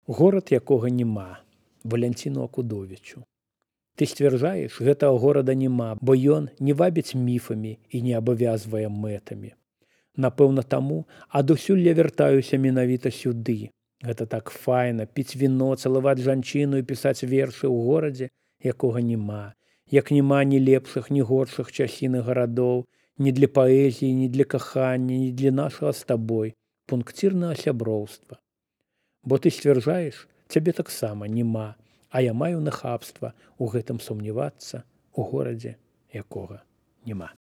Горад, якога няма. Валянціну Акудовічу. Ты сцвярджаеш, гэтага горада няма, бо ён не вабіць міфамі і не абавязвае мэтамі. Напэўна, таму адусюль я вяртаюся менавіта сюды. Гэта так файна, піць віно, цалаваць жанчыну і пісаць вершы ў горадзе, якога няма. Як няма ні лепшых, ні горшых часін і гарадоў, ні для паэзіі, ні для кахання, ні для нашага з табой пункцірнага сяброўства. Бо ты сцвярджаеш, цябе таксама няма, а я маю нахабства ў гэтым сумнявацца ў горадзе, якога няма.